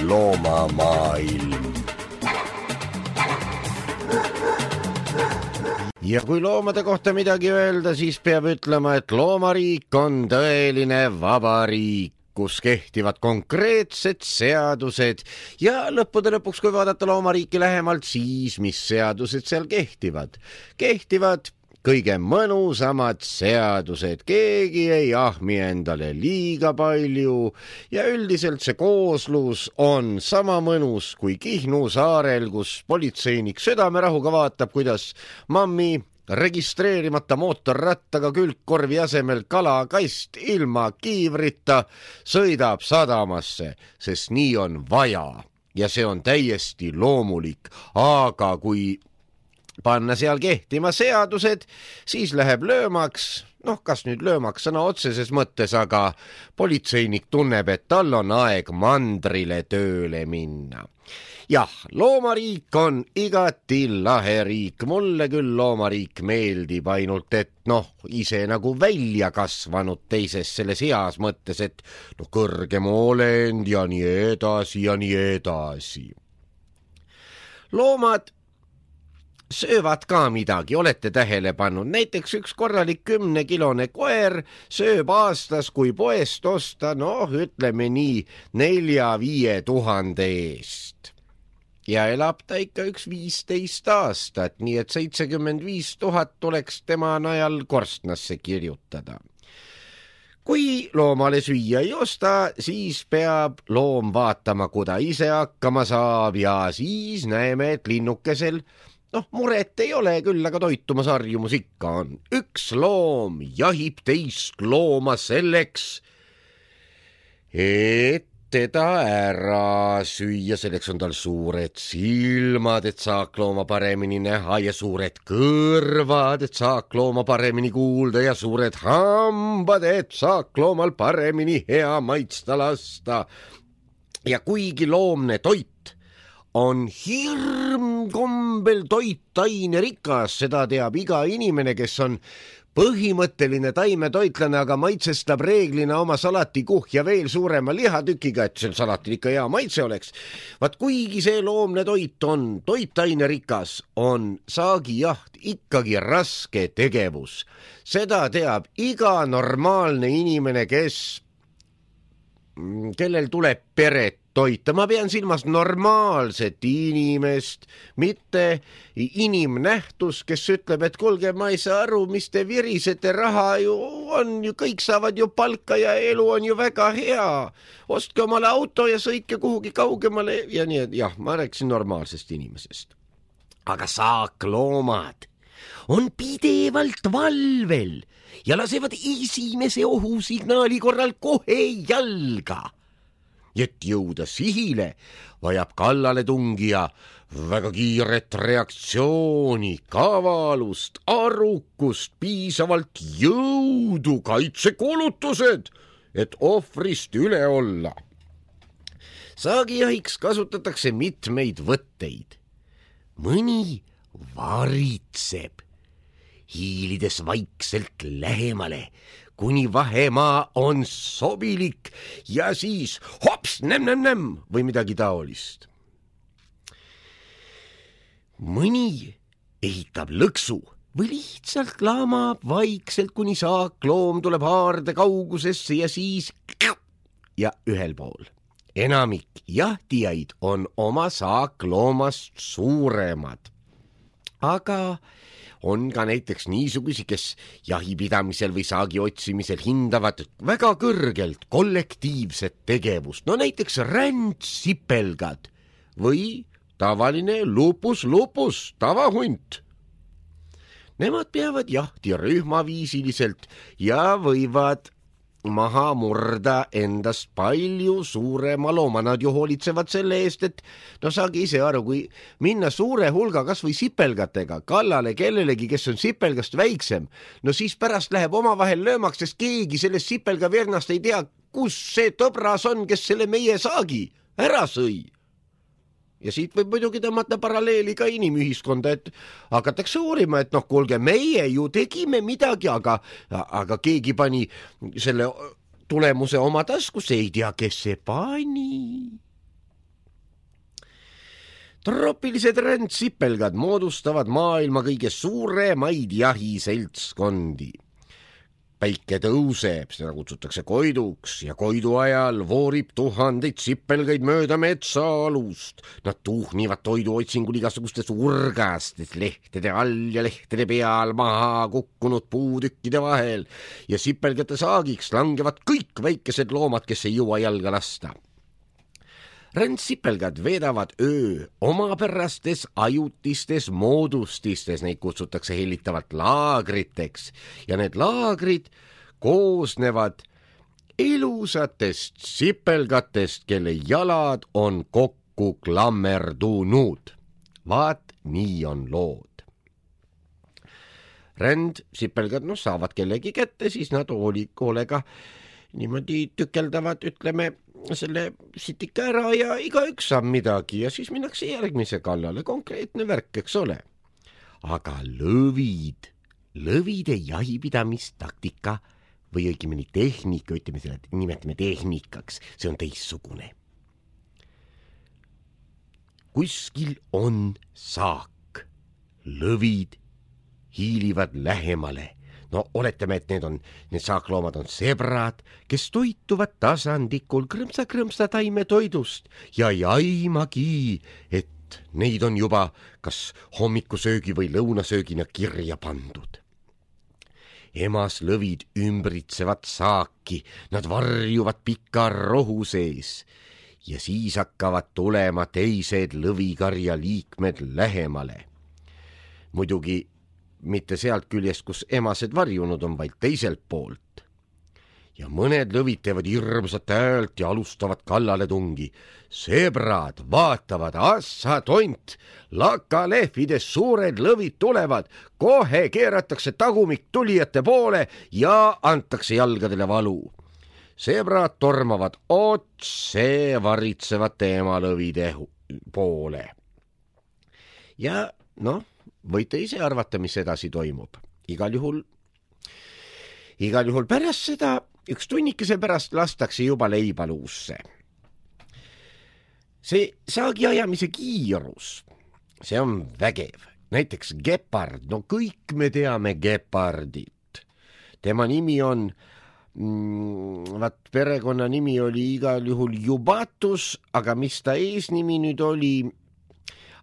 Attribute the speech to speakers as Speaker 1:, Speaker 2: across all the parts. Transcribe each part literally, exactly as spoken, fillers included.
Speaker 1: loomamaailm. Ja kui loomade kohta midagi öelda, siis peab ütlema, et loomariik on tõeline vabariik, kus kehtivad konkreetsed seadused ja lõppude lõpuks, kui vaadata loomariiki lähemalt, siis mis seadused seal kehtivad? Kehtivad kõige mõnusamad seadused, keegi ei ahmi endale liiga palju ja üldiselt see kooslus on sama mõnus kui Kihnu saarel, kus politseinik südamerahuga vaatab, kuidas mammi registreerimata mootorrattaga külgkorvi asemel kalakast ilma kiivrita sõidab sadamasse, sest nii on vaja ja see on täiesti loomulik, aga kui panna seal kehtima seadused, siis läheb löömaks, noh, kas nüüd löömaks sõna otseses mõttes, aga politseinik tunneb, et tal on aeg mandrile tööle minna. Jah, loomariik on igati lahe riik, mulle küll loomariik meeldib, ainult et noh, ise nagu välja kasvanud teises selles heas mõttes, et noh, kõrgem olend ja nii edasi ja nii edasi. Loomad söövad ka midagi, olete tähele pannud, näiteks üks korralik kümnekilone koer sööb aastas, kui poest osta, noh, ütleme nii nelja-viie tuhande eest. Ja elab ta ikka üks viisteist aastat, nii et seitsekümmend viis tuhat tuleks tema najal korstnasse kirjutada. Kui loomale süüa ei osta, siis peab loom vaatama, kuda ise hakkama saab ja siis näeme, et linnukesel noh, muret ei ole küll, aga toitumas harjumus ikka on. Üks loom jahib teist looma selleks, et teda ära süüa, selleks on tal suured silmad, et saak looma paremini näha ja suured kõrvad, et saak looma paremini kuulda ja suured hambad, et saak loomal paremini hea maitsta lasta. Ja kuigi loomne toit on hirmkombel toitaine rikas, seda teab iga inimene, kes on põhimõtteline taimetoitlane, aga maitsestab reeglina oma salatikuhja veel suurema lihatükiga, et sel salatil ikka hea maitse oleks. Vaat kuigi see loomne toit on toitaine rikas, on saagijaht ikkagi raske tegevus. Seda teab iga normaalne inimene, kes, kellel tuleb peret toita. Ma pean silmas normaalset inimest, mitte inimnähtus, kes ütleb, et kuulge, ma ei saa aru, mis te virisete, raha ju on ju, kõik saavad ju palka ja elu on ju väga hea. Ostke omale auto ja sõitke kuhugi kaugemale ja nii, et jah, ma rääkisin normaalsest inimesest. Aga saakloomad on pidevalt valvel ja lasevad esimese ohusignaali korral kohe jalga. Et jõuda sihile, vajab kallale tungija väga kiiret reaktsiooni, kavalust, arukust, piisavalt jõudu, kaitsekulutused, et ohvrist üle olla. Saagijahiks kasutatakse mitmeid võtteid. Mõni varitseb, hiilides vaikselt lähemale, kuni vahemaa on sobilik ja siis hops, nem-nem-nem või midagi taolist. Mõni ehitab lõksu või lihtsalt laamab vaikselt, kuni saakloom tuleb haarde kaugusesse ja siis ja ühel pool. Enamik jahtijaid on oma saakloomast suuremad, aga on ka näiteks niisugusi, kes jahipidamisel või saagi otsimisel hindavad väga kõrgelt kollektiivset tegevust. No näiteks rändsipelgad või tavaline lupus-lupus, tavahunt. Nemad peavad jahti rühmaviisiliselt ja võivad maha murda endast palju suurema looma. Nad ju hoolitsevad selle eest, et no saagi ise aru, kui minna suure hulga kas või sipelgatega kallale kellelegi, kes on sipelgast väiksem, no siis pärast läheb omavahel löömaks, sest keegi sellest sipelgavernast ei tea, kus see tõbras on, kes selle meie saagi ära sõi. Ja siit võib muidugi tõmmata paralleeli ka inimühiskonda, et hakatakse uurima, et noh, kuulge, meie ju tegime midagi, aga, aga keegi pani selle tulemuse oma taskusse, ei tea, kes see pani. Troopilised rändsipelgad moodustavad maailma kõige suuremaid jahiseltskondi. Päike tõuseb, seda kutsutakse koiduks ja koidu ajal voorib tuhandeid sipelgaid mööda metsaalust. Nad tuhnivad toiduotsingul igasugustes urgastes lehtede all ja lehtede peal maha kukkunud puutükkide vahel ja sipelgate saagiks langevad kõik väikesed loomad, kes ei jõua jalga lasta. Rändsipelgad veedavad öö omapärastes ajutistes moodustistes, neid kutsutakse hellitavalt laagriteks ja need laagrid koosnevad ilusatest sipelgatest, kelle jalad on kokku klammerdunud. Vaat nii on lood. Rändsipelgad no, saavad kellegi kätte, siis nad hoolega niimoodi tükeldavad, ütleme, selle sitika ära ja igaüks saab midagi ja siis minnakse järgmise kallale, konkreetne värk, eks ole. Aga lõvid, lõvide jahipidamistaktika või õigemini tehnika, ütleme selle, nimetame tehnikaks, see on teissugune. Kuskil on saak, lõvid hiilivad lähemale. No oletame, et need on, need saakloomad on sebrad, kes toituvad tasandikul krõmsa-krõmsa taimetoidust ja ei aimagi, et neid on juba kas hommikusöögi või lõunasöögina kirja pandud. Emas lõvid ümbritsevad saaki, nad varjuvad pika rohu sees ja siis hakkavad tulema teised lõvikarja liikmed lähemale. Muidugi mitte sealt küljest, kus emased varjunud on, vaid teiselt poolt. Ja mõned lõvid teevad hirmsat häält ja alustavad kallale tungi. Sebrad vaatavad, assa tont, lakalehvides suured lõvid tulevad, kohe keeratakse tagumik tulijate poole ja antakse jalgadele valu. Sebrad tormavad otse varitsevate emalõvide poole. Ja noh, võite ise arvata, mis edasi toimub. Igal juhul, igal juhul pärast seda, üks tunnikese pärast lastakse juba leibaluusse. See saagi ajamise kiirus, see on vägev. Näiteks gepard, no kõik me teame gepardit. Tema nimi on, mm, vaat perekonna nimi oli igal juhul Jubatus, aga mis ta eesnimi nüüd oli?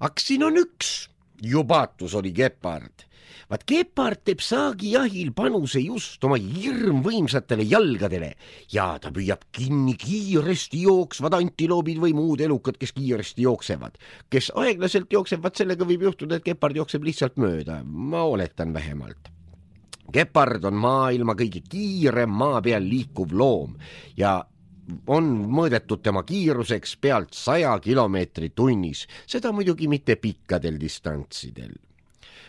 Speaker 1: Aks siin on üks. Jubatus oli gepard. Vaat gepard teeb saagi jahil panuse just oma hirmvõimsatele jalgadele ja ta püüab kinni kiiresti jooksvad antiloobid või muud elukad, kes kiiresti jooksevad. Kes aeglaselt jooksevad, sellega võib juhtuda, et gepard jookseb lihtsalt mööda. Ma oletan vähemalt. Gepard on maailma kõige kiirem maa peal liikuv loom ja on mõõdetud tema kiiruseks pealt saja kilomeetri tunnis, seda muidugi mitte pikkadel distantsidel.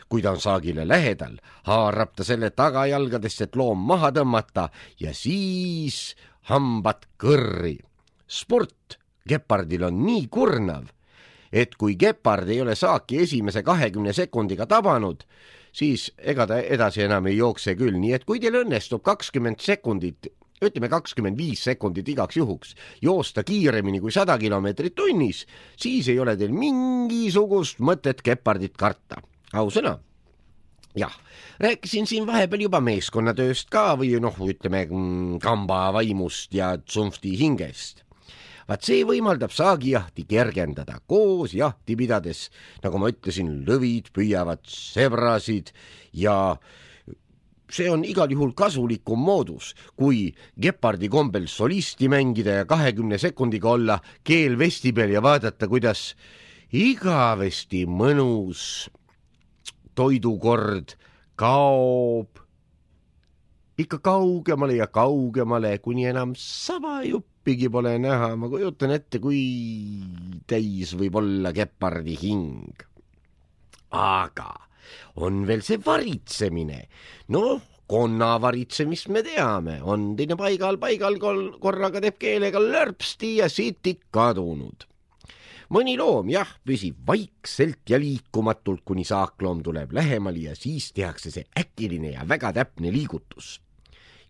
Speaker 1: Kui ta on saagile lähedal, haarab ta selle tagajalgadest, et loom maha tõmmata ja siis hambad kõrri. Sport gepardil on nii kurnav, et kui gepard ei ole saaki esimese kahekümne sekundiga tabanud, siis ega ta edasi enam ei jookse küll, nii et kui teil õnnestub kakskümmend sekundit ütleme kakskümmend viis sekundit igaks juhuks, joosta kiiremini kui sada kilomeetrit tunnis, siis ei ole teil mingisugust mõtet gepardit karta. Ausõna? Jah, rääkisin siin vahepeal juba meeskonnatööst ka või noh, ütleme kamba vaimust ja tsunfti hingest. Vaat see võimaldab saagijahti kergendada koos jahti pidades, nagu ma ütlesin, lõvid püüavad sebrasid ja see on igal juhul kasulikum moodus, kui gepardi kombel solisti mängida ja kahekümne sekundiga olla keel vesti peal ja vaadata, kuidas igavesti mõnus toidukord kaob ikka kaugemale ja kaugemale, kuni enam sabajuppigi pole näha. Ma kujutan ette, kui täis võib olla gepardi hing. Aga on veel see varitsemine. No, konna varitsemist me teame. On teine paigal, paigal korraga teeb keelega lörpsti ja sitik kadunud. Mõni loom, jah, püsib vaikselt ja liikumatult, kuni saakloom tuleb lähemale ja siis tehakse see äkiline ja väga täpne liigutus.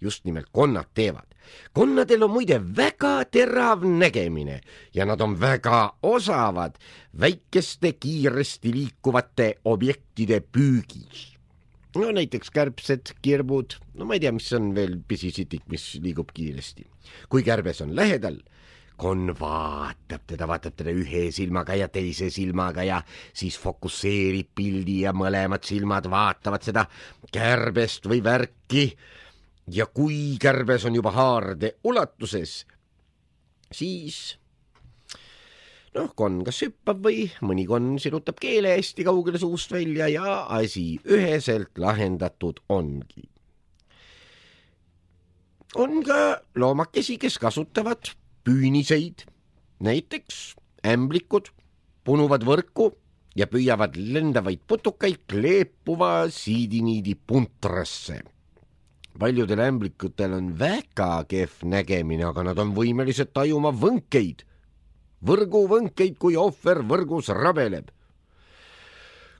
Speaker 1: just nimelt konnad teevad. Konnadel on muide väga terav nägemine ja nad on väga osavad väikeste kiiresti liikuvate objektide püügis. No näiteks kärbsed, kirbud, no ma ei tea, mis on veel pisisitik, mis liigub kiiresti. Kui kärbes on lähedal, konn vaatab teda, vaatab teda ühe silmaga ja teise silmaga ja siis fokusseerib pildi ja mõlemad silmad vaatavad seda kärbest või värki. Ja kui kärbes on juba haarde ulatuses, siis noh, konn kas hüppab või mõni konn sirutab keele hästi kaugele suust välja ja asi üheselt lahendatud ongi. On ka loomakesi, kes kasutavad püüniseid, näiteks ämblikud punuvad võrku ja püüavad lendavaid putukaid kleepuva siidiniidi puntrasse. Paljudel ämblikutel on väga kehv nägemine, aga nad on võimelised tajuma võnkeid. Võrgu võnkeid, kui ohver võrgus rabeleb.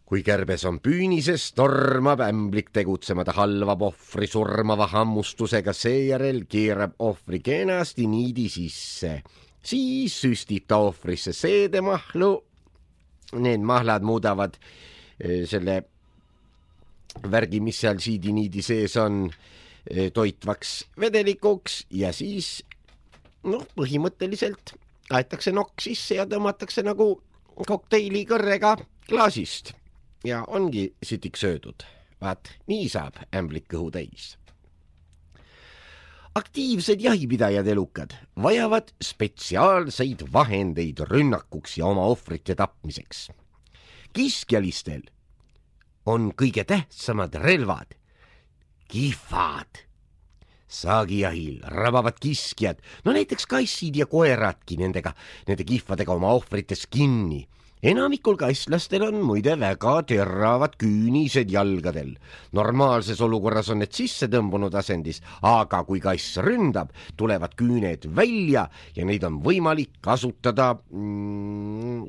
Speaker 1: Kui kärbes on püünises, tormab ämblik tegutsema, ta halvab ohvri surmava hammustusega, seejärel keerab ohvri kenasti niidi sisse. Siis süstib ta ohvrisse seedemahlu. Need mahlad muudavad selle värgi, mis seal siidiniidi sees on, toitvaks vedelikuks ja siis noh, põhimõtteliselt aetakse nokk sisse ja tõmmatakse nagu kokteili kõrrega klaasist ja ongi sitik söödud. Vaat, nii saab ämblik kõhu täis. Aktiivsed jahipidajad elukad vajavad spetsiaalseid vahendeid rünnakuks ja oma ohvrite tapmiseks. Kiskjalistel on kõige tähtsamad relvad kihvad. Saagijahil rabavad kiskjad, no näiteks kassid ja koeradki nendega, nende kihvadega oma ohvrites kinni. Enamikul kasslastel on muide väga teravad küünised jalgadel. Normaalses olukorras on need sisse tõmbunud asendis, aga kui kass ründab, tulevad küüned välja ja neid on võimalik kasutada mm,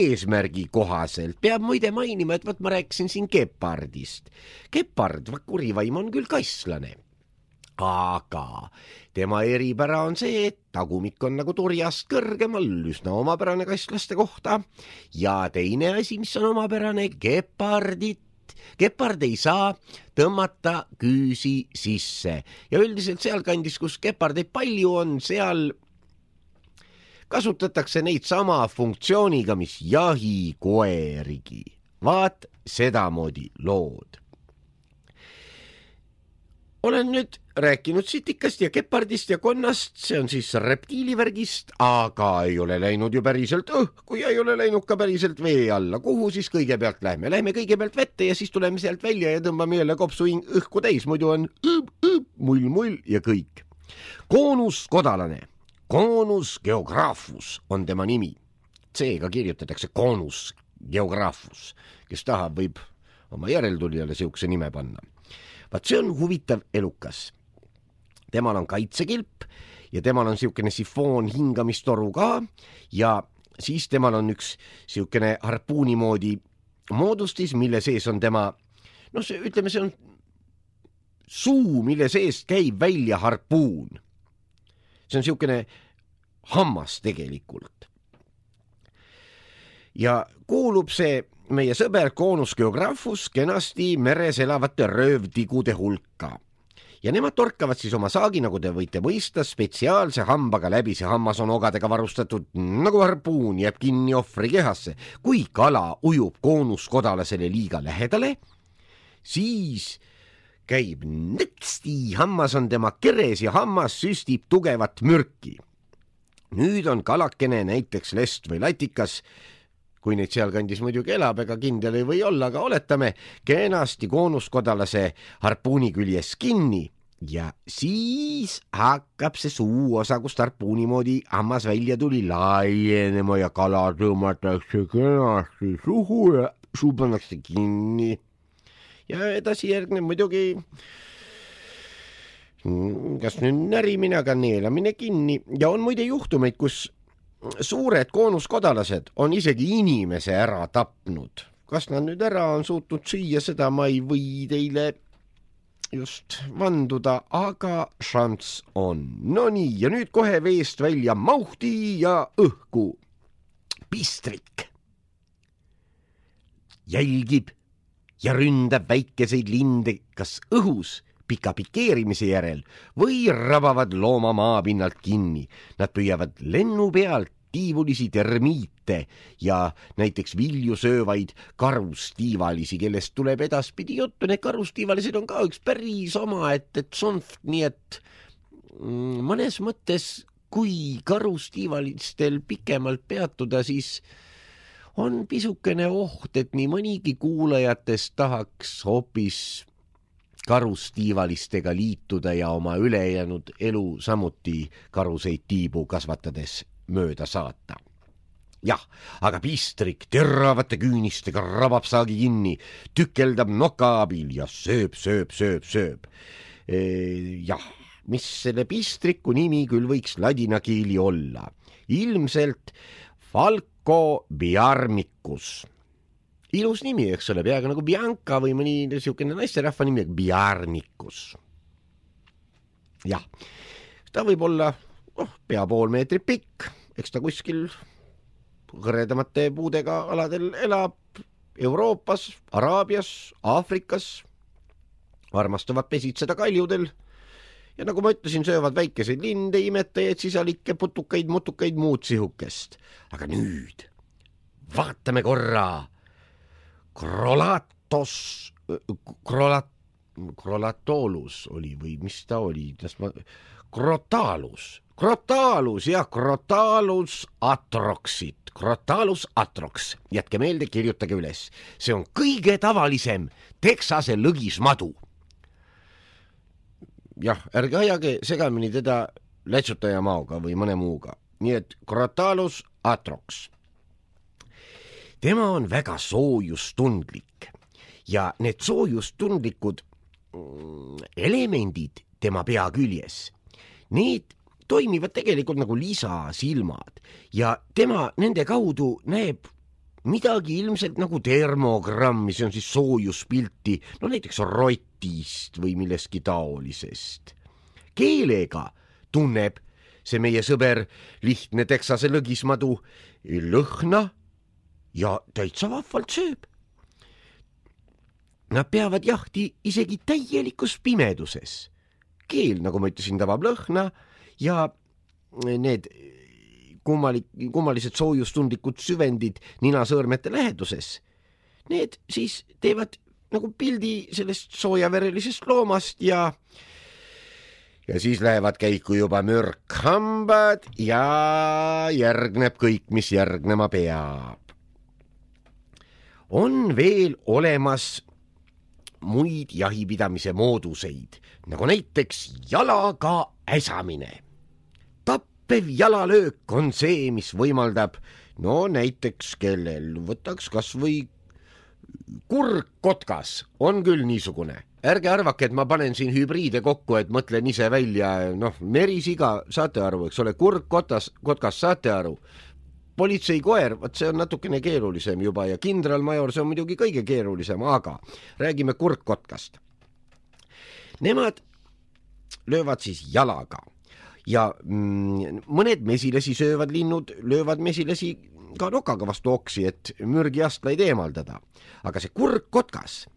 Speaker 1: eesmärgi kohaselt. Peab muide mainima, et võt ma rääkisin siin gepardist. Gepard, kurivaim on küll kasslane. Aga tema eripära on see, et tagumik on nagu turjast kõrgemal, üsna omapärane kasslaste kohta. Ja teine asi, mis on omapärane, gepardit. Gepard ei saa tõmmata küüsi sisse. Ja üldiselt sealkandis, kus gepardeid palju on, seal kasutatakse neid sama funktsiooniga, mis jahikoerigi. Vaat sedamoodi lood. Olen nüüd rääkinud sitikast ja gepardist ja konnast, see on siis reptiilivärgist, aga ei ole läinud ju päriselt õhku ja ei ole läinud ka päriselt vee alla. Kuhu siis kõigepealt lähme? Lähme kõigepealt vette ja siis tuleme sealt välja ja tõmbame jälle kopsu õhku täis, muidu on õb, õb, mull, mull ja kõik. Koonuskodalane, Conus geographus on tema nimi. C-ga kirjutatakse Conus geographus, kes tahab, võib oma järeltulijale siukse nime panna. Vaat see on huvitav elukas. Temal on kaitsekilp ja temal on siukene sifoon hingamistoru ka ja siis temal on üks siukene harpuuni moodi moodustis, mille sees on tema, noh, see, ütleme, see on suu, mille seest käib välja harpuun. See on siukene hammas tegelikult. Ja kuulub see meie sõber Conus geographus kenasti meres elavate röövtigude hulka. Ja nemad torkavad siis oma saagi, nagu te võite mõista, spetsiaalse hambaga läbi. See hammas on ogadega varustatud nagu harpuun, jääb kinni ohvri kehasse. Kui kala ujub koonuskodalisele liiga lähedale, siis käib nõtsti, hammas on tema keres ja hammas süstib tugevat mürki. Nüüd on kalakene näiteks lest või latikas, kui neid sealkandis muidugi elab, ega kindel ei või olla, aga oletame, kenasti koonuskodalase harpuuni küljes kinni ja siis hakkab see suu osa, kust harpuuni moodi hammas välja tuli, laienema ja kala tõmmatakse kenasti suhu ja suu pannakse kinni. Ja edasi järgneb muidugi kas nüüd närimine, aga neelamine kinni ja on muide juhtumeid, kus suured koonuskodalased on isegi inimese ära tapnud. Kas nad nüüd ära on suutnud süüa, seda ma ei või teile just vanduda, aga šanss on. No nii, ja nüüd kohe veest välja Mauhti ja õhku. Pistrik jälgib ja ründab väikeseid linde kas õhus pika pikeerimise järel või rabavad looma maapinnalt kinni. Nad püüavad lennu pealt tiivulisi termiite ja näiteks vilju söövaid karustiivalisi, kellest tuleb edaspidi juttu. Need karustiivalised on ka üks päris oma, et, et sonft, nii et mõnes mõttes, kui karustiivalistel pikemalt peatuda, siis on pisukene oht, et nii mõnigi kuulajatest tahaks hoopis karustiivalistega liituda ja oma ülejäänud elu samuti karuseid tiibu kasvatades mööda saata. Jah, aga pistrik teravate küünistega rabab saagi kinni, tükeldab noka abil ja sööb, sööb, sööb, sööb. E, jah, mis selle pistriku nimi küll võiks ladina keeli olla? Ilmselt Falco biarmicus. Ilus nimi, eks ole, peaaegu nagu Bianca või mõni niisugune naisterahva nimi, biarmicus. Jah, ta võib olla oh, pea pool meetri pikk, eks ta kuskil hõredamate puudega aladel elab Euroopas, Araabias, Aafrikas, armastavad pesitseda kaljudel ja nagu ma ütlesin, söövad väikeseid linde, imetajaid, sisalikke, putukaid, mutukaid, muud sihukest. Aga nüüd vaatame korra Crolatos, Crolat, Crolatolus oli või mis ta oli? Ma, Crotalus, Crotalus ja Crotalus atroxit. Crotalus atrox. Jätke meelde, kirjutage üles. See on kõige tavalisem Texase lõgismadu. Jah, ärge ajage segamini teda lätsutaja maoga või mõne muuga. Nii et Crotalus atrox. Tema on väga soojustundlik ja need soojustundlikud elemendid tema pea küljes, need toimivad tegelikult nagu lisasilmad ja tema nende kaudu näeb midagi ilmselt nagu termogrammi, see on siis soojuspilti, no näiteks rotist või millestki taolisest. Keelega tunneb see meie sõber lihtne Texase lõgismadu lõhna ja täitsa vahvalt sööb. Nad peavad jahti isegi täielikus pimeduses. Keel, nagu ma ütlesin, tabab lõhna ja need kummalik, kummalised soojustundlikud süvendid ninasõõrmete läheduses, need siis teevad nagu pildi sellest soojaverelisest loomast ja ja siis lähevad käiku juba mürkhambad ja järgneb kõik, mis järgnema peab. On veel olemas muid jahipidamise mooduseid, nagu näiteks jalaga äsamine. Tappev jalalöök on see, mis võimaldab, no näiteks kellel võtaks kas või kurkkotkas, on küll niisugune. Ärge arvake, et ma panen siin hübriide kokku, et mõtlen ise välja, noh, merisiga, saate aru, eks ole, kurkkotkas, kotkas, saate aru. Politseikoer, võt see on natukene keerulisem juba ja kindralmajor, see on muidugi kõige keerulisem, aga räägime kurkkotkast. Nemad löövad siis jalaga ja mm, mõned mesilasi söövad linnud, löövad mesilasi ka nokaga vastu oksi, et mürgiastlaid eemaldada. Aga see kurkkotkas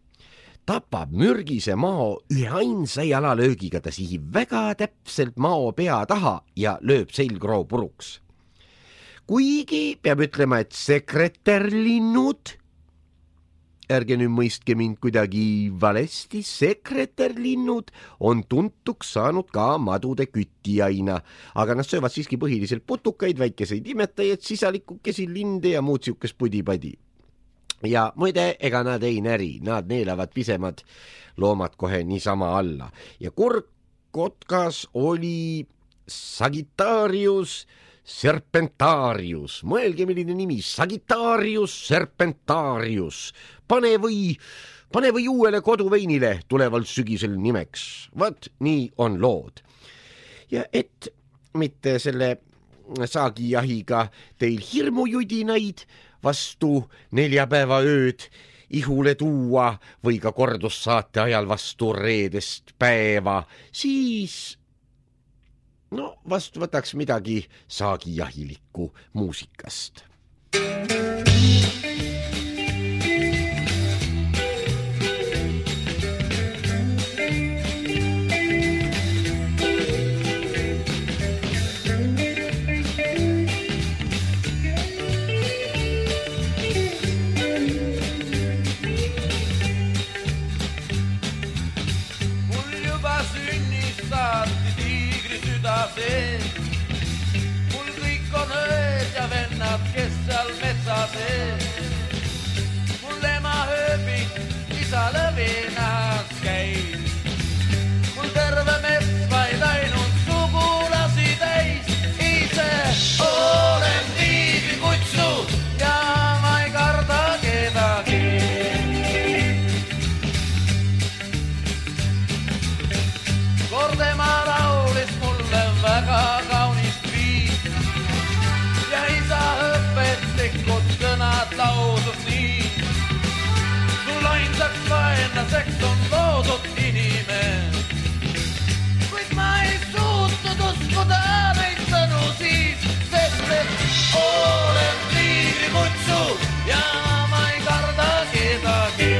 Speaker 1: tapab mürgise mao ühe ainsa jalalöögiga, ta sihib väga täpselt mao pea taha ja lööb selgroo puruks. Kuigi peab ütlema, et sekretärlinnud, ärge nüüd mõistke mind kuidagi valesti, sekretärlinnud on tuntuks saanud ka madude küttiaina, aga nad söövad siiski põhiliselt putukaid, väikeseid imetajaid, sisalikukesi, linde ja muud siukest pudipadi. Ja muide, ega nad ei näri, nad neelavad pisemad loomad kohe niisama alla. Ja kurkkotkas oli Sagittarius Serpentarius, mõelge milline nimi, Sagittarius Serpentarius, pane või, pane või uuele koduveinile tulevalt sügisel nimeks, vaat nii on lood. Ja et mitte selle saagijahiga teil hirmujudinaid vastu neljapäeva ööd ihule tuua või ka kordussaate ajal vastu reedest päeva, siis no vast võtaks midagi saagijahilikku muusikast.
Speaker 2: Mul kõik on ööd ja vennad, kes seal metsa sees. Mul ema ööbik, isa lõvinas käis. Mul terve mets vaid ainult sugulasi täis. Ise olen tiigrikutsu ja ma ei karda kedagi. Kord ema laulis mulle väga kaunist viis ja isa õpetlikud sõnad lausus nii. Sul ainsaks vaenlaseks on loodud inimene, kuid ma ei suutnud uskuda neid sõnu siis, sest et olen tiigrikutsu ja ma ei karda kedagi.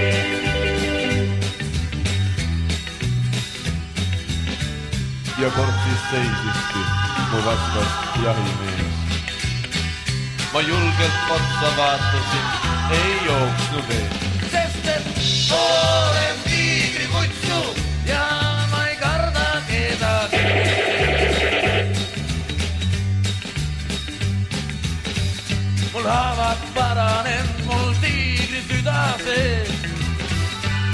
Speaker 3: Ja kord siis seisiski mu vastas jahimees. Ma julgelt otsa vaatasin, ei jooksnud ees.
Speaker 2: Sest et olen tiigrikutsu ja ma ei karda kedagi. Mul haavad paranenud, mul tiigri süda sees.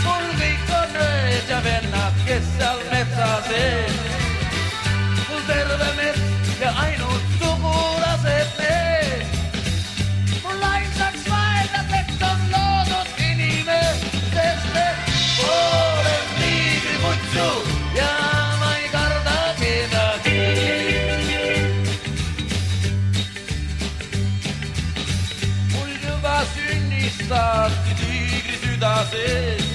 Speaker 2: Mul kõik on ööd ja vennad, kes seal metsa sees. Terve mets ja ainult sugulased mees. Mul ainsaks vaenlaseks on loodud inimene, sest et olen tiigrikutsu ja ma ei karda kedagi. Mul juba sünnist saati tiigri süda sees.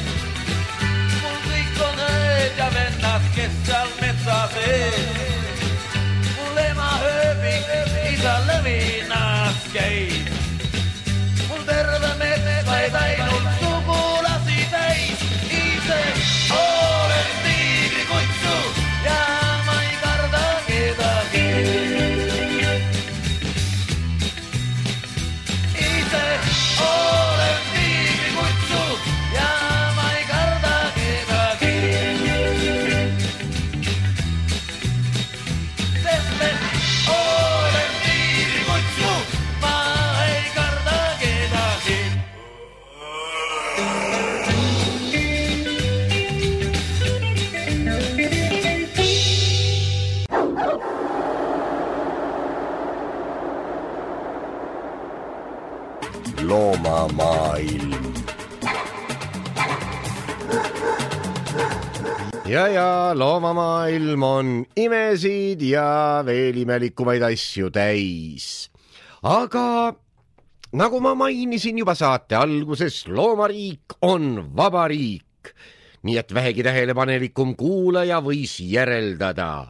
Speaker 2: Mul kõik on ööd ja vennad, kes seal metsa sees. Isa lõvinas käib. Mul terve mets vaid ainult sugulasi täis. Ise olen tiigrikutsu ja ma ei karda kedagi. Ise olen tiigrikutsu ja ma ei karda kedagi. Sest et
Speaker 1: loomamaailm. Ja ja loomamaailm on imesid ja veel imelikumaid asju täis. Aga nagu ma mainisin juba saate alguses, loomariik on vaba riik. Nii et vähegi tähelepanelikum kuulaja võis järeldada.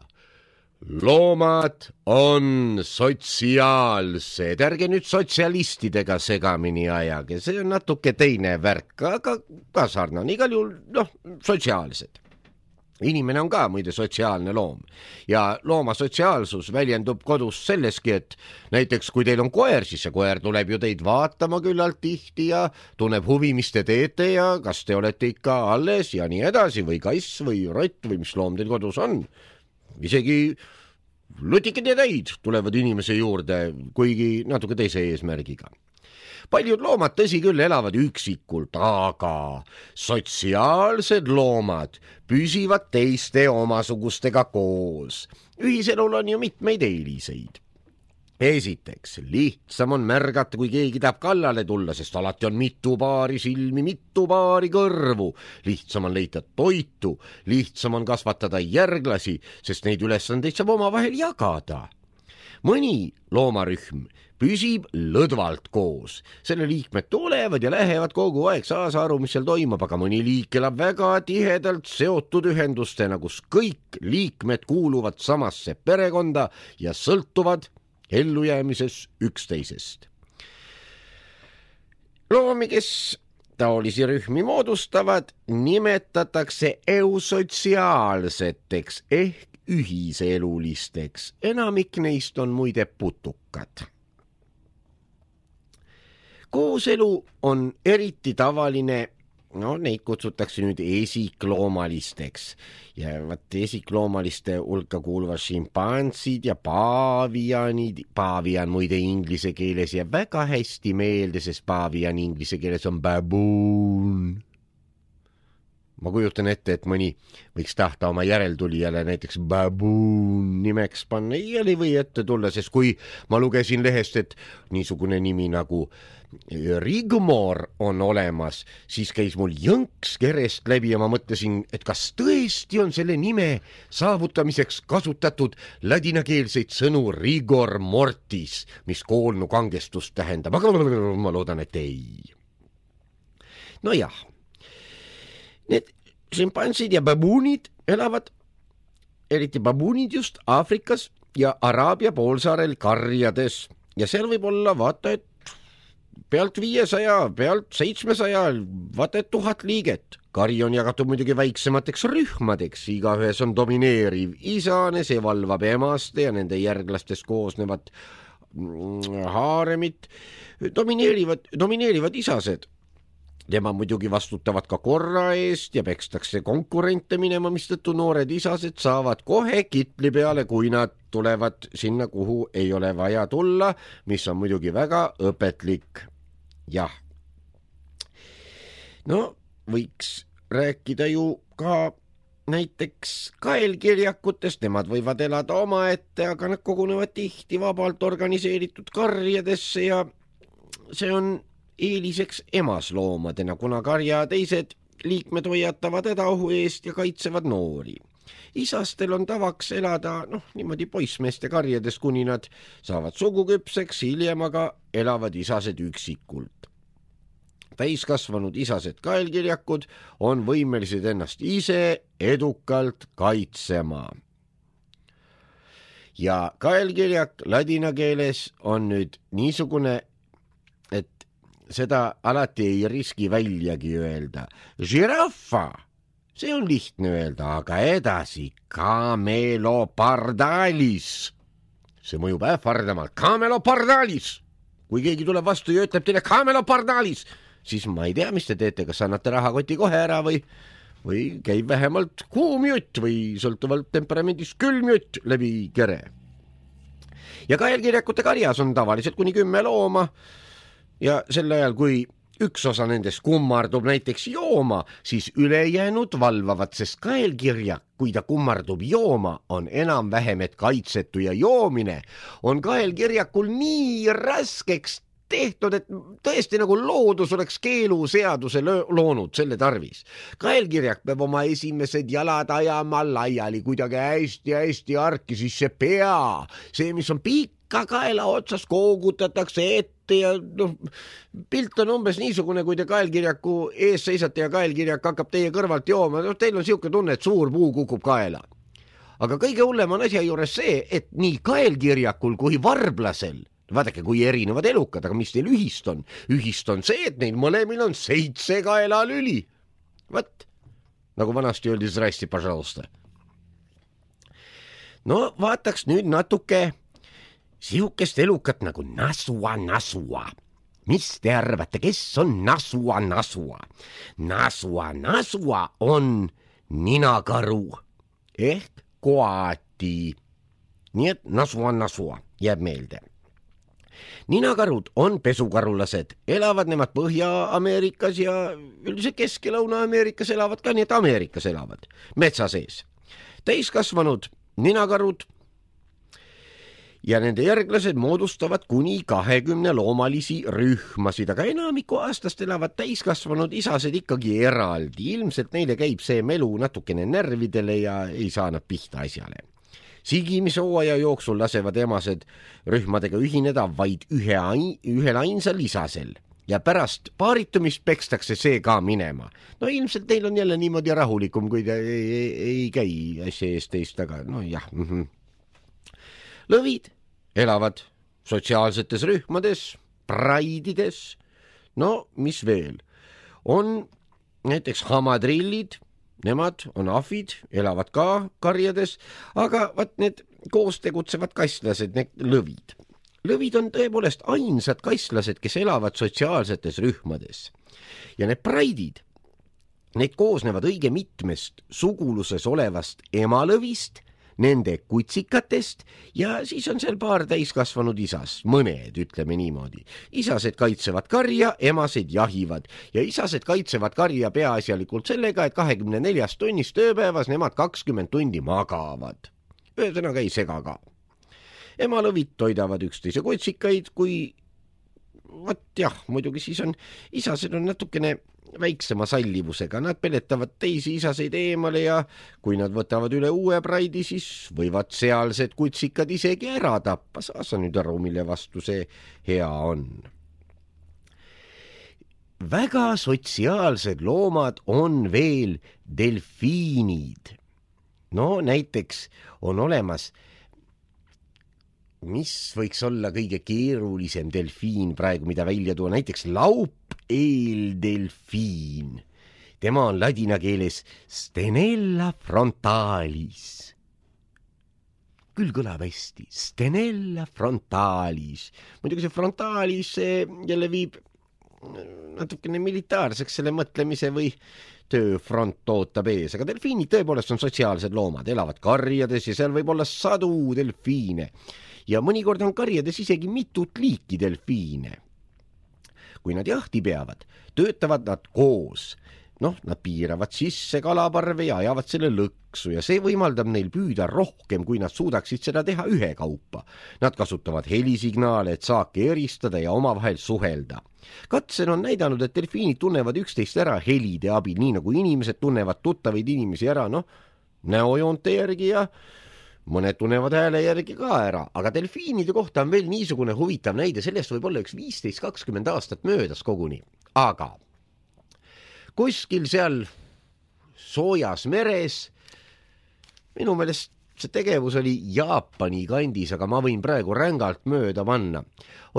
Speaker 1: Loomad on sotsiaalsed, ärge nüüd sotsialistidega segamini ajage, see on natuke teine värk, aga ka sarnane, igal juhul, noh, sotsiaalsed. Inimene on ka muide sotsiaalne loom ja looma sotsiaalsus väljendub kodus selleski, et näiteks kui teil on koer, siis see koer tuleb ju teid vaatama küllalt tihti ja tunneb huvi, mis te teete ja kas te olete ikka alles ja nii edasi või kass või rott või mis loom teil kodus on. Isegi lutikid ja täid tulevad inimese juurde, kuigi natuke teise eesmärgiga. Paljud loomad tõsi küll elavad üksikult, aga sotsiaalsed loomad püsivad teiste omasugustega koos. Ühiselul on ju mitmeid eeliseid. Esiteks, lihtsam on märgata, kui keegi tahab kallale tulla, sest alati on mitu paari silmi, mitu paari kõrvu. Lihtsam on leida toitu, lihtsam on kasvatada järglasi, sest neid ülesandeid saab omavahel jagada. mõni loomarühm püsib lõdvalt koos. Selle liikmed tulevad ja lähevad kogu aeg, saasa aru, mis seal toimub, aga mõni liik elab väga tihedalt seotud ühendustena, kus kõik liikmed kuuluvad samasse perekonda ja sõltuvad ellujäämises üksteisest. Loomi, kes taolisi rühmi moodustavad, nimetatakse eusotsiaalseteks ehk ühiselulisteks. Enamik neist on muide putukad. Kooselu on eriti tavaline, no neid kutsutakse nüüd esikloomalisteks ja vaat esikloomaliste hulka kuuluvad šimpansid ja paavianid. Paavian muide inglise keeles ja väga hästi meelde, sest paavian inglise keeles on baboon. Ma kujutan ette, et mõni võiks tahta oma järeltulijale näiteks baboon nimeks panna. Ei või ette tulla, sest kui ma lugesin lehest, et niisugune nimi nagu Rigmor on olemas, siis käis mul jõnks kerest läbi ja ma mõtlesin, et kas tõesti on selle nime saavutamiseks kasutatud ladinakeelseid sõnu rigor mortis, mis koolnu kangestust tähendab, aga ma loodan, et ei. No jah, need šimpansid ja babuunid elavad, eriti babuunid just Aafrikas ja Araabia poolsaarel karjades ja seal võib olla vaata, et pealt viiesaja, pealt seitsmesaja, vaata et tuhat liiget. Kari on jagatud muidugi väiksemateks rühmadeks, igaühes on domineeriv isane, see valvab emaste ja nende järglastest koosnevad haaremit, domineerivad, domineerivad isased. Tema muidugi vastutavad ka korra eest ja pekstakse konkurente minema, mistõttu noored isased saavad kohe kitli peale, kui nad tulevad sinna, kuhu ei ole vaja tulla, mis on muidugi väga õpetlik. Jah. No, võiks rääkida ju ka näiteks kaelkirjakutest, nemad võivad elada omaette, aga nad kogunevad tihti vabalt organiseeritud karjadesse ja see on eeliseks emasloomadena, kuna karja teised liikmed hoiatavad hädaohu eest ja kaitsevad noori. Isastel on tavaks elada noh, niimoodi poissmeeste karjades, kuni nad saavad suguküpseks, hiljem aga elavad isased üksikult. Täiskasvanud isased kaelkirjakud on võimelised ennast ise edukalt kaitsema. Ja kaelkirjak ladina keeles on nüüd niisugune, et seda alati ei riski väljagi öelda. Žiraffa, see on lihtne öelda, aga edasi camelopardalis. See mõjub ähvardamalt. Camelopardalis! Kui keegi tuleb vastu ja ütleb teile camelopardalis, siis ma ei tea, mis te teete, kas annate rahakoti kohe ära või, või käib vähemalt kuum jutt või sõltuvalt temperamendist külm jutt läbi kere. Ja kaelkirjakute karjas on tavaliselt kuni kümme looma ja sel ajal, kui üks osa nendest kummardub näiteks jooma, siis ülejäänud valvavad, sest kaelkirjak, kui ta kummardub jooma, on enam-vähem et kaitsetu ja joomine on kaelkirjakul nii raskeks tehtud, et tõesti nagu loodus oleks keeluseaduse loonud selle tarvis. Kaelkirjak peab oma esimesed jalad ajama laiali kuidagi hästi-hästi arki, siis see pea, see, mis on pikka kaela otsas, koogutatakse ette ja noh, pilt on umbes niisugune, kui te kaelkirjaku ees seisate ja kaelkirjak hakkab teie kõrvalt jooma, no teil on siuke tunne, et suur puu kukub kaela. Aga kõige hullem on asja juures see, et nii kaelkirjakul kui varblasel, vaadake, kui erinevad elukad, aga mis teil ühist on? Ühist on see, et neil mõlemil on seitse kaelalüli. Võt, nagu vanasti öeldi, zrasti, pažalusta. No vaataks nüüd natuke sihukest elukat nagu Nasua Nasua. Mis te arvate, kes on Nasua Nasua? Nasua Nasua on ninakaru ehk koati. Nii et Nasua Nasua jääb meelde. Ninakarud on pesukarulased, elavad nemad Põhja-Ameerikas ja üldiselt Kesk- ja Lõuna-Ameerikas elavad ka, nii et Ameerikas elavad, metsa sees. Täiskasvanud ninakarud ja nende järglased moodustavad kuni kahekümne loomalisi rühmasid, aga enamiku aastast elavad täiskasvanud isased ikkagi eraldi. Ilmselt neile käib see melu natukene närvidele ja ei saa nad pihta asjale. Sigimisooaja jooksul lasevad emased rühmadega ühineda vaid ühe ain, ühel ainsal isasel ja pärast paaritumist pekstakse see ka minema. No ilmselt neil on jälle niimoodi rahulikum, kui ta ei, ei, ei käi asja eest teist taga. No jah. Mm-hmm. Lõvid elavad sotsiaalsetes rühmades, praidides. No mis veel? On näiteks hamadrillid. Nemad on ahvid, elavad ka karjades, aga vaat need koos tegutsevad kasslased, need lõvid. Lõvid on tõepoolest ainsad kasslased, kes elavad sotsiaalsetes rühmades. Ja need praidid, need koosnevad õige mitmest suguluses olevast emalõvist, nende kutsikatest ja siis on seal paar täiskasvanud isas, mõned, ütleme niimoodi. Isased kaitsevad karja, emased jahivad ja isased kaitsevad karja peaasjalikult sellega, et kahekümne neljast tunnist tööpäevas nemad kakskümmend tundi magavad. Ühesõnaga ei sega ka. Emalõvid toidavad üksteise kutsikaid, kui vat jah, muidugi siis on, isased on natukene väiksema sallivusega, nad peletavad teisi isaseid eemale ja kui nad võtavad üle uue praidi, siis võivad sealsed kutsikad isegi ära tappa. Saa sa nüüd aru, mille vastu see hea on. Väga sotsiaalsed loomad on veel delfiinid. No näiteks on olemas, mis võiks olla kõige keerulisem delfiin praegu, mida välja tuua, näiteks laupeeldelfiin. Tema on ladina keeles Stenella frontalis. Küll kõlab hästi, Stenella frontalis. Muidugi see frontalis see jälle viib natukene militaarseks selle mõtlemise või tööfront ootab ees, aga delfiinid tõepoolest on sotsiaalsed loomad, elavad karjades ja seal võib olla sadu delfiine. Ja mõnikord on karjades isegi mitut liiki delfiine. Kui nad jahti peavad, töötavad nad koos. Noh, nad piiravad sisse kalaparve ja ajavad selle lõksu ja see võimaldab neil püüda rohkem, kui nad suudaksid seda teha ühe kaupa. Nad kasutavad helisignaale, et saake eristada ja omavahel suhelda. Katsel on näidanud, et delfiinid tunnevad üksteist ära helide abil, nii nagu inimesed tunnevad tuttavaid inimesi ära, noh, näojoonte järgi ja mõned tunnevad hääle järgi ka ära, aga delfiinide kohta on veel niisugune huvitav näide, sellest võib olla üks viisteist kakskümmend aastat möödas koguni. Aga kuskil seal soojas meres, minu meelest see tegevus oli Jaapani kandis, aga ma võin praegu rängalt mööda panna.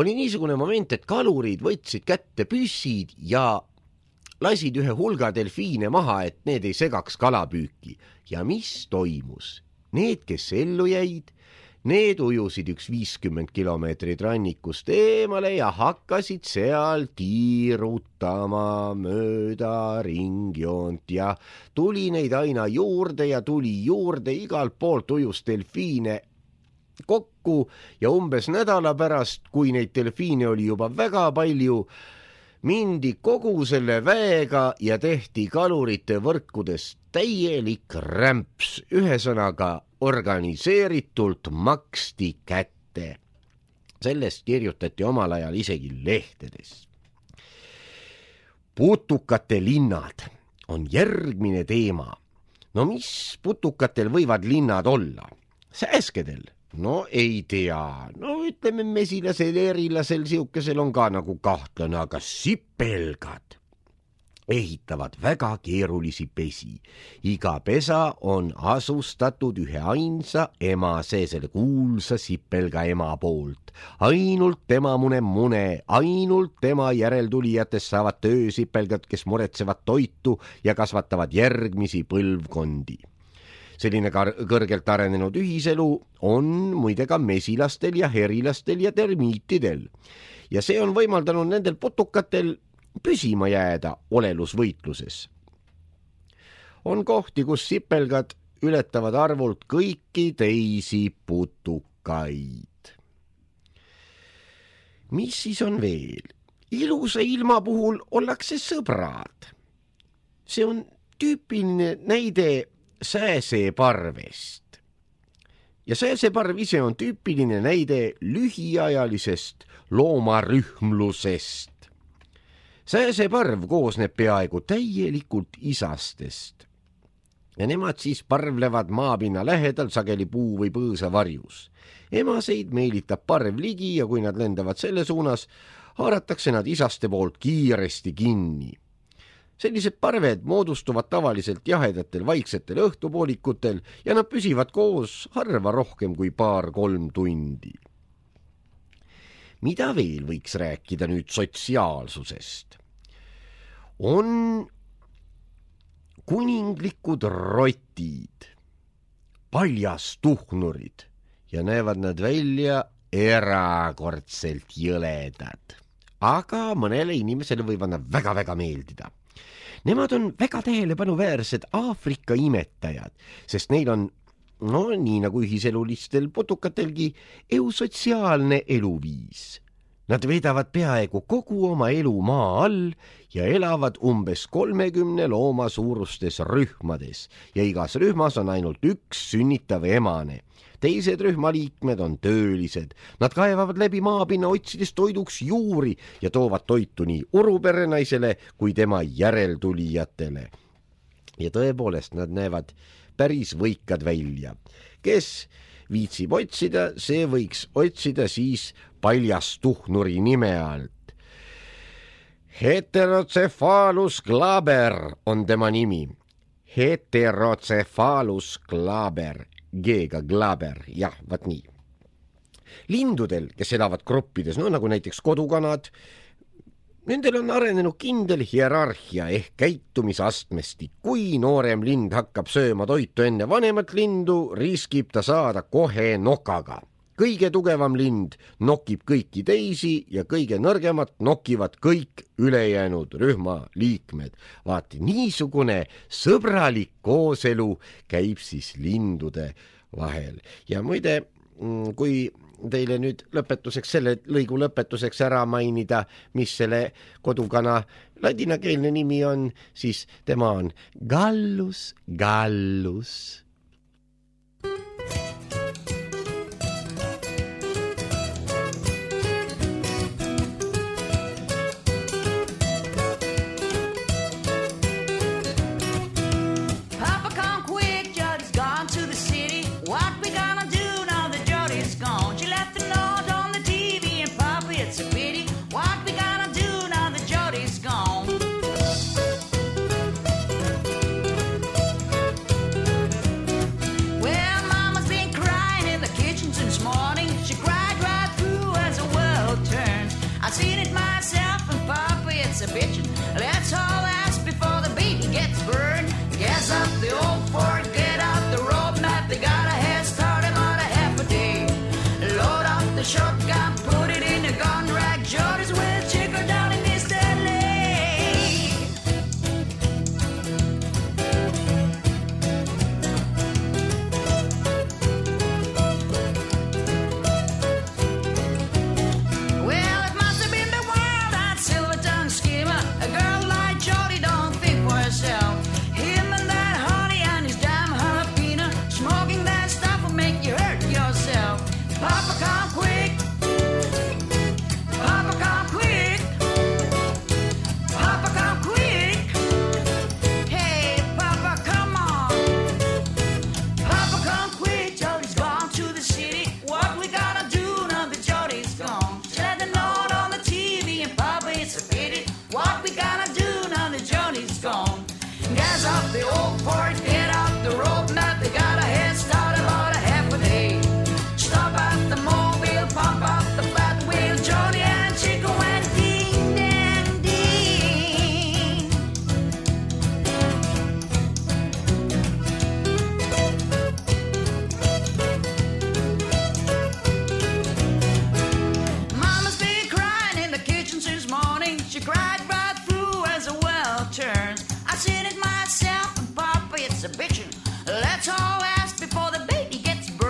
Speaker 1: Oli niisugune moment, et kalurid võtsid kätte püssid ja lasid ühe hulga delfiine maha, et need ei segaks kalapüüki. Ja mis toimus? Need, kes ellu jäid, need ujusid üks viiskümmend kilomeetrit rannikust eemale ja hakkasid seal tiirutama mööda ringjoont ja tuli neid aina juurde ja tuli juurde, igalt poolt ujus delfiine kokku ja umbes nädala pärast, kui neid delfiine oli juba väga palju, mindi kogu selle väega ja tehti kalurite võrkudest täielik rämps, ühesõnaga organiseeritult maksti kätte. Sellest kirjutati omal ajal isegi lehtedes. Putukate linnad on järgmine teema. No mis putukatel võivad linnad olla? Sääskedel? No ei tea. No ütleme mesilasel, erilasel, siukesel on ka nagu kahtlane, aga sipelgad ehitavad väga keerulisi pesi. Iga pesa on asustatud ühe ainsa emase, selle kuulsa sipelga ema poolt. Ainult tema mune mune, ainult tema järeltulijatest saavad töösipelgad, kes muretsevad toitu ja kasvatavad järgmisi põlvkondi. Selline kõrgelt arenenud ühiselu on muide ka mesilastel ja herilastel ja termiitidel. Ja see on võimaldanud nendel putukatel püsima jääda olelusvõitluses. On kohti, kus sipelgad ületavad arvult kõiki teisi putukaid. Mis siis on veel? Ilusa ilma puhul ollakse sõbrad. See on tüüpiline näide sääseparvest. Ja sääseparv ise on tüüpiline näide lühiajalisest loomarühmlusest. Sääseparv koosneb peaaegu täielikult isastest. ja nemad siis parvlevad maapinna lähedal sageli puu või põõsa varjus. Emaseid meelitab parv ligi ja kui nad lendavad selle suunas, haaratakse nad isaste poolt kiiresti kinni. Sellised parved moodustuvad tavaliselt jahedatel vaiksetel õhtupoolikutel ja nad püsivad koos harva rohkem kui paar-kolm tundi. Mida veel võiks rääkida nüüd sotsiaalsusest? On kuninglikud rotid, paljastuhnurid ja näevad nad välja erakordselt jõledad. Aga mõnele inimesele võivad nad väga-väga meeldida. Nemad on väga tähelepanuväärsed Aafrika imetajad, sest neil on, no nii nagu ühiselulistel putukatelgi, eusotsiaalne eluviis. Nad veedavad peaaegu kogu oma elu maa all ja elavad umbes kolmekümne looma suurustes rühmades ja igas rühmas on ainult üks sünnitav emane. Teised rühmaliikmed on töölised. Nad kaevavad läbi maapinna otsides toiduks juuri ja toovad toitu nii uruperenaisele kui tema järeltulijatele. Ja tõepoolest nad näevad päris võikad välja. Kes viitsib otsida, see võiks otsida siis paljastuhnuri nime alt. Heterocephalus glaber on tema nimi. Heterocephalus glaber. G-ga glaber, jah, vaat nii. Lindudel, kes elavad gruppides, no nagu näiteks kodukanad, nendel on arenenud kindel hierarhia ehk käitumisastmestik. Kui noorem lind hakkab sööma toitu enne vanemat lindu, riskib ta saada kohe nokaga. Kõige tugevam lind nokib kõiki teisi ja kõige nõrgemat nokivad kõik ülejäänud rühma liikmed. Vaati, niisugune sõbralik kooselu käib siis lindude vahel. Ja muide, kui teile nüüd lõpetuseks, selle lõigu lõpetuseks ära mainida, mis selle kodukana ladinakeelne nimi on, siis tema on Gallus gallus.
Speaker 4: Let's all ask before the baby gets burned. Gas up the old Ford, get out the road map. They got a head start about a half a day. Load up the shotgun, put it in a gun rack. Jody's with chicker down in East L A. Well, it must have been the wild eyed silver tongue schemer. A girl like Jody don't think for herself. Him and that honey and his damn jalapeno. Smoking that stuff will make you hurt yourself. Papa, come quick. Papa, come quick. Papa, come quick. Hey, Papa, come on. Papa, come quick. Jody's gone to the city. What we gotta do now that Jody's gone? She let the note on the T V and Papa, it's a pity. What we gotta do now that Jody's gone? Gas up the old Ford, get out the road map. They got a head start about a half a day. Stop at the mobile, pump up the flat wheel. Jody and Chico went ding, dang, ding. Mama's been crying in the kitchen since morning. She cried right through as a well turns. I seen it myself and Papa, it's a bitchin'. Let's all ask before the baby gets burned.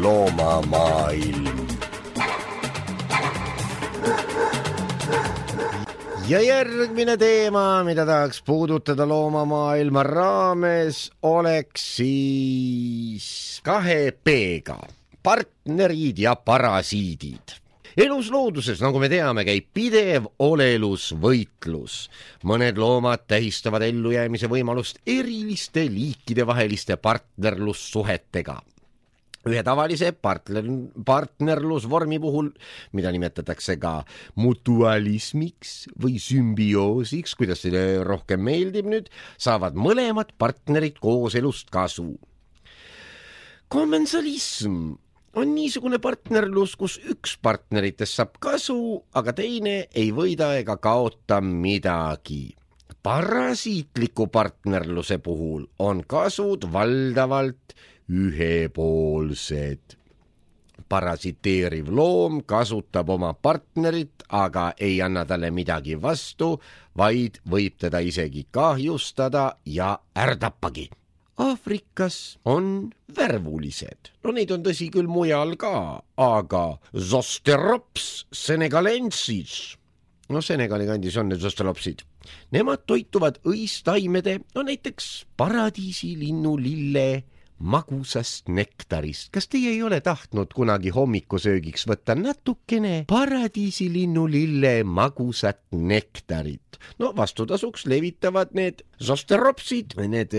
Speaker 1: Loomamaailm. ja järgmine teema, mida tahaks puudutada loomamaailma raames, oleks siis kahe P-ga, partnerid ja parasiidid. Elus looduses, nagu me teame, käib pidev olelusvõitlus. Mõned loomad tähistavad ellujäämise võimalust eriliste liikide vaheliste partnerlussuhetega. Ühe tavalise partner, partnerlusvormi puhul, mida nimetatakse ka mutualismiks või sümbioosiks, kuidas see rohkem meeldib nüüd, saavad mõlemad partnerid koos elust kasu. Kommensalism on niisugune partnerlus, kus üks partneritest saab kasu, aga teine ei võida ega kaota midagi. Parasiitliku partnerluse puhul on kasud valdavalt ühepoolsed. Parasiteeriv loom kasutab oma partnerit, aga ei anna talle midagi vastu, vaid võib teda isegi kahjustada ja ärdapagi. Aafrikas on värvulised. No neid on tõsi küll mujal ka, aga Zosterops senegalensis, no Senegali kandis on need Zosteropsid, nemad toituvad õistaimede, no näiteks paradiisilinnu lille magusast nektarist. Kas teie ei ole tahtnud kunagi hommikusöögiks võtta natukene paradiisilinnu lille magusat nektarit? No vastutasuks levitavad need zosteropsid, need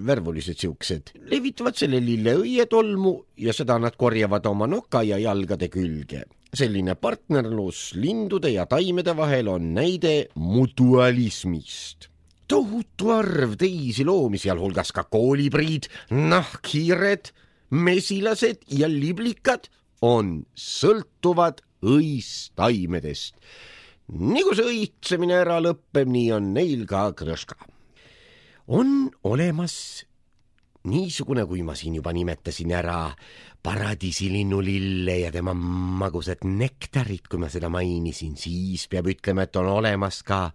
Speaker 1: värvulised siuksed, levitavad selle lille õietolmu ja seda nad korjavad oma noka ja jalgade külge. Selline partnerlus lindude ja taimede vahel on näide mutualismist. Tohutu arv teisi loomi, sealhulgas ka koolibriid, nahkhiired, mesilased ja liblikad on sõltuvad õistaimedest. Nii kui see õitsemine ära lõppeb, nii on neil ka krõška. On olemas niisugune, kui ma siin juba nimetasin ära, paradiisilinnu lille ja tema magusad nektarid, kui ma seda mainisin, siis peab ütlema, et on olemas ka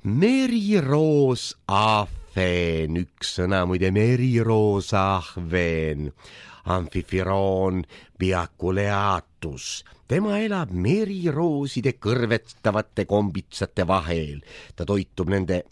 Speaker 1: meriroos ahven, üks sõna muide, meriroos ahven, amfifiroon biaculeatus. Tema elab merirooside kõrvetavate kombitsate vahel. Ta toitub nende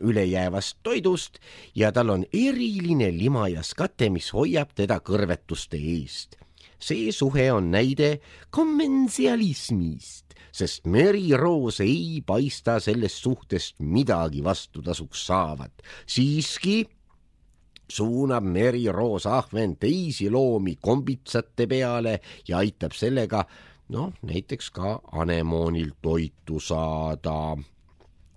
Speaker 1: ülejäävast toidust ja tal on eriline limajas kate, mis hoiab teda kõrvetuste eest. See suhe on näide kommensialismist, sest meriroos ei paista sellest suhtest midagi vastutasuks saavat. Siiski suunab meriroos ahven teisi loomi kombitsate peale ja aitab sellega, noh, näiteks ka anemoonil toitu saada.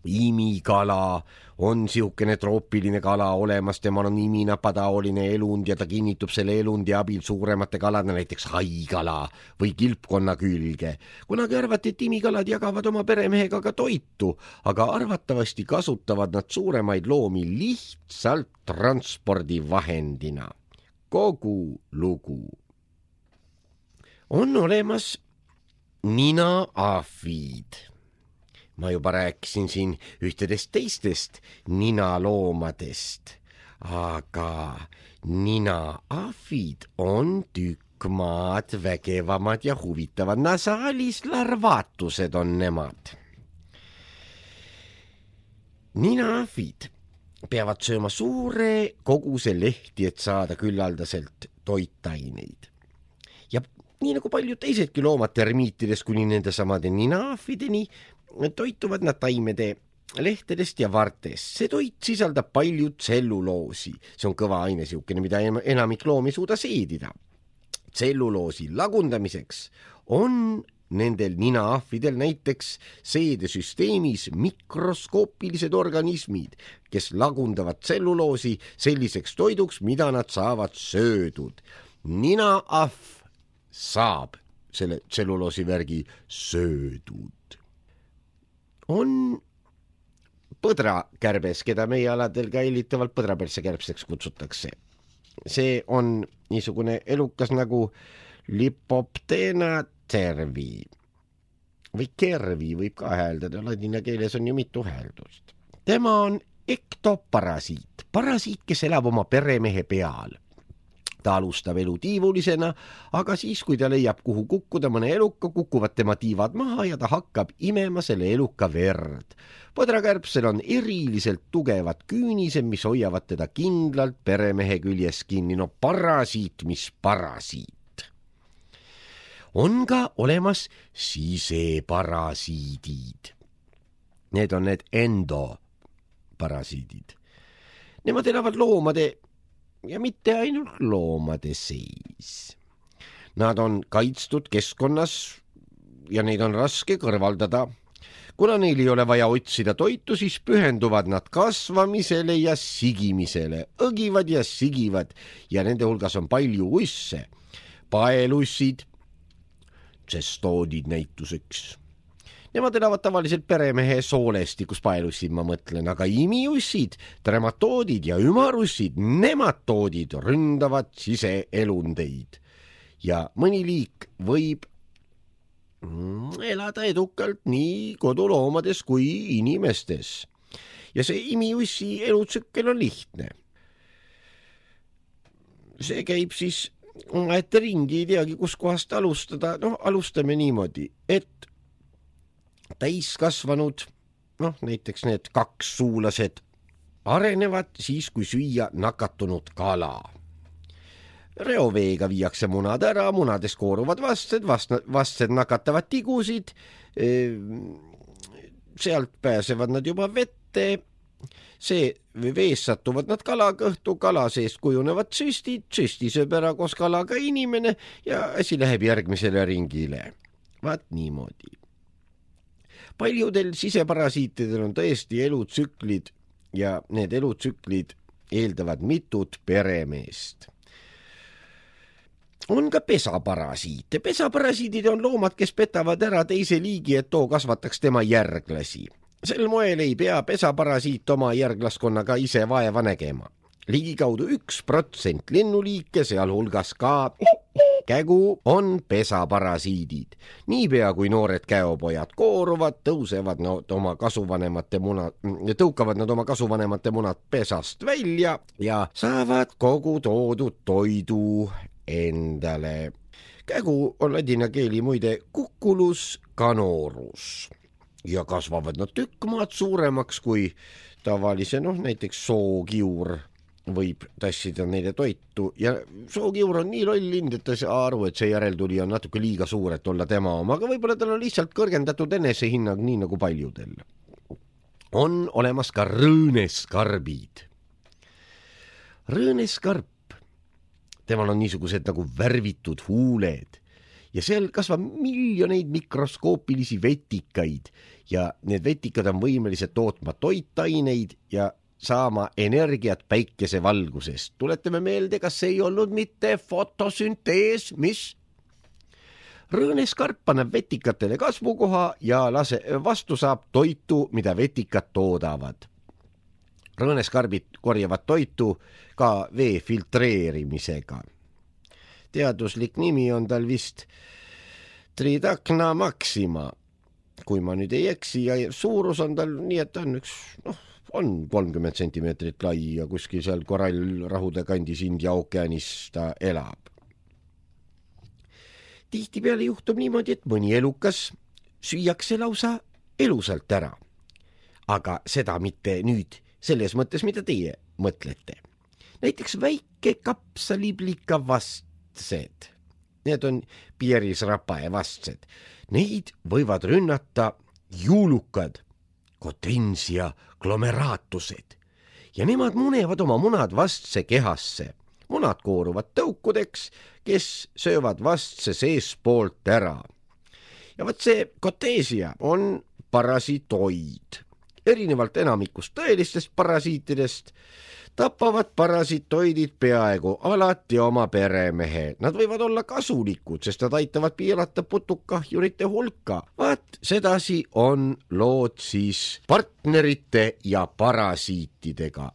Speaker 1: Imikala on siukene troopiline kala olemas, temal on iminapadaoline elund ja ta kinnitub selle elundi abil suuremate kalade, näiteks haikala või kilpkonna külge. Kunagi arvati, et imikalad jagavad oma peremehega ka toitu, aga arvatavasti kasutavad nad suuremaid loomi lihtsalt transpordivahendina. Kogu lugu. On olemas ninaaafid. Ma juba rääkisin siin ühtedest teistest ninaloomadest, aga ninaafid on tükk maad vägevamad ja huvitavad. Nasaalis larvaatused on nemad. Ninaafid peavad sööma suure koguse lehti, et saada küllaldaselt toitaineid. Ja nii nagu paljud teisedki loomad termiitides kuni nende samade ninaafideni, toituvad nad taimede lehtedest ja vartest. See toit sisaldab palju tselluloosi. See on kõva aine siukene, mida enamik loomi ei suuda seedida. Tselluloosi lagundamiseks on nendel ninaafidel näiteks seedesüsteemis mikroskoopilised organismid, kes lagundavad tselluloosi selliseks toiduks, mida nad saavad söödud. Ninaaf saab selle tselluloosivärgi söödud. On põdrakärbes, keda meie aladel ka hellitavalt põdraperse kärbseks kutsutakse. See on niisugune elukas nagu Lipoptena cervi või kervi võib ka hääldada, ladina keeles on ju mitu hääldust. Tema on ektoparasiit, parasiit, kes elab oma peremehe peal. ta alustab elu tiivulisena, aga siis, kui ta leiab, kuhu kukkuda mõne eluka, kukuvad tema tiivad maha ja ta hakkab imema selle eluka verd. Põdrakärbsel on eriliselt tugevad küünised, mis hoiavad teda kindlalt peremehe küljes kinni. No parasiit, mis parasiit. On ka olemas siseparasiidid. Need on need endoparasiidid. Nemad elavad loomade ja mitte ainult loomade seis. Nad on kaitstud keskkonnas ja neid on raske kõrvaldada. Kuna neil ei ole vaja otsida toitu, siis pühenduvad nad kasvamisele ja sigimisele, õgivad ja sigivad ja nende hulgas on palju usse, paelussid, tsestoodid näituseks. Nemad elavad tavaliselt peremehe soolestikus, paelussid ma mõtlen, aga imiussid, trematoodid ja ümarussid, nematoodid ründavad siseelundeid. Ja mõni liik võib elada edukalt nii koduloomades kui inimestes. Ja see imiussi elutsükkel on lihtne. See käib siis ette ringi, ei teagi, kus kohast alustada. No, alustame niimoodi, et täiskasvanud, noh, näiteks need kaks suulased, arenevad siis, kui süüa nakatunud kala. Reoveega viiakse munad ära, munades kooruvad vastsed, vastsed nakatavad tigusid, sealt pääsevad nad juba vette, see vees satuvad nad kalakõhtu, kala seest kujunevad süstid, süsti sööb ära koos kalaga inimene ja asi läheb järgmisele ringile. Vaat niimoodi. Paljudel siseparasiitidel on tõesti elutsüklid ja need elutsüklid eeldavad mitut peremeest. On ka pesaparasiite. Pesaparasiidid on loomad, kes petavad ära teise liigi, et too kasvataks tema järglasi. Sel moel ei pea pesaparasiit oma järglaskonnaga ise vaeva nägema. Ligikaudu üks protsent linnuliike, sealhulgas ka kägu, on pesaparasiidid. Niipea kui noored käopojad kooruvad, tõusevad nad oma kasuvanemate munad, tõukavad nad oma kasuvanemate munad pesast välja ja saavad kogu toodud toidu endale. Kägu on ladina keeli muide kukulus canorus ja kasvavad nad tükk maad suuremaks kui tavalise, noh näiteks sookiur võib tassida neile toitu ja sookiur on nii loll lind, et ta saa aru, et see järeltuli on natuke liiga suur, et olla tema oma, aga võib-olla tal on lihtsalt kõrgendatud enesehinnang nii nagu paljudel. On olemas ka rõõneskarbid. Rõõneskarp, temal on niisugused nagu värvitud huuled ja seal kasvab miljoneid mikroskoopilisi vetikaid ja need vetikad on võimelised tootma toitaineid ja saama energiat päikesevalgusest. Tuletame meelde, kas see ei olnud mitte fotosüntees, mis? Rõõneskarp paneb vetikatele kasvukoha ja lase, vastu saab toitu, mida vetikad toodavad. Rõõneskarbid korjavad toitu ka vee filtreerimisega. Teaduslik nimi on tal vist Tridacna maxima, kui ma nüüd ei eksi, ja suurus on tal nii, et on üks, noh, on kolmkümmend sentimeetrit lai ja kuskil seal korallrahude kandis India ookeanis ta elab. Tihtipeale juhtub niimoodi, et mõni elukas süüakse lausa elusalt ära. Aga seda mitte nüüd selles mõttes, mida teie mõtlete. Näiteks väike kapsaliblika vastsed. Need on pierisrapae vastsed. Neid võivad rünnata juulukad, Cotensia glomeraatused ja nemad munevad oma munad vastse kehasse. Munad kooruvad tõukudeks, kes söövad vastse seespoolt ära. Ja võt see Cotensia on parasitoid. Erinevalt enamikust tõelistest parasiitidest tapavad parasitoidid peaaegu alati oma peremehe. Nad võivad olla kasulikud, sest nad aitavad piirata putukahjurite hulka. Vaat sedasi on lood siis partnerite ja parasiitidega.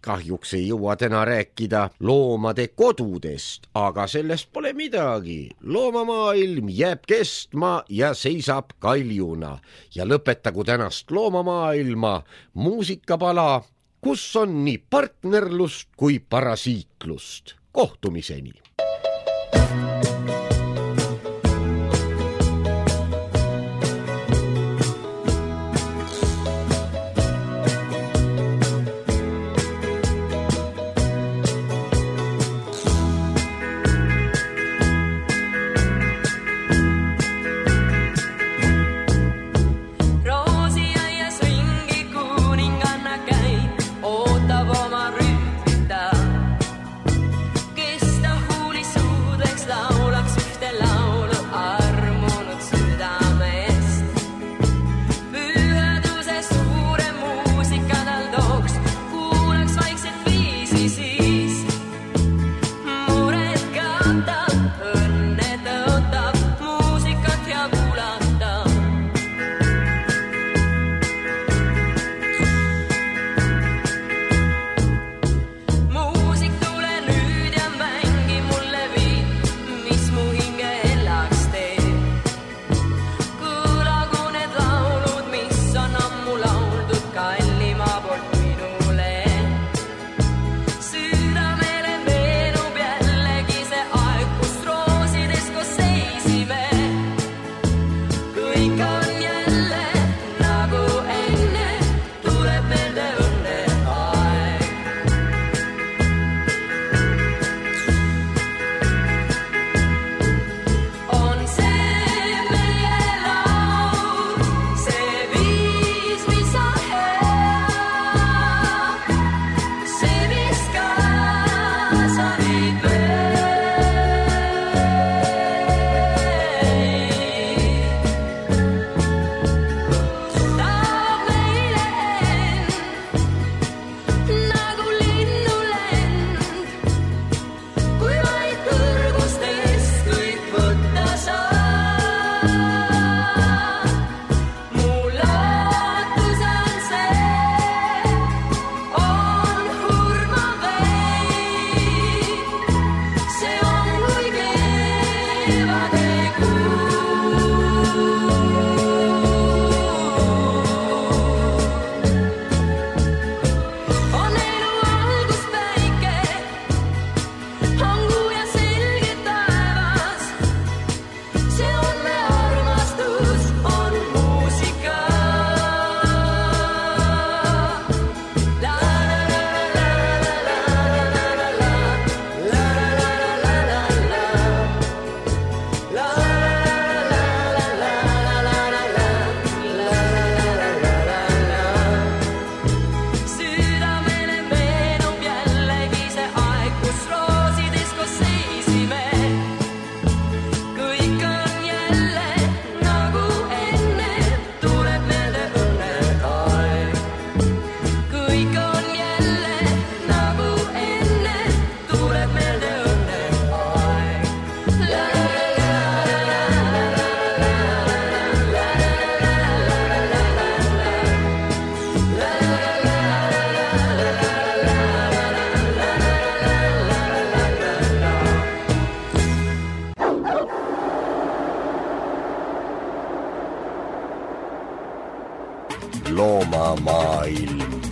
Speaker 1: Kahjuks ei jõua täna rääkida loomade kodudest, aga sellest pole midagi. Loomamaailm jääb kestma ja seisab kaljuna. Ja lõpetagu tänast loomamaailma muusikapala, kus on nii partnerlust kui parasiitlust. kohtumiseni.
Speaker 5: Loomamaailm.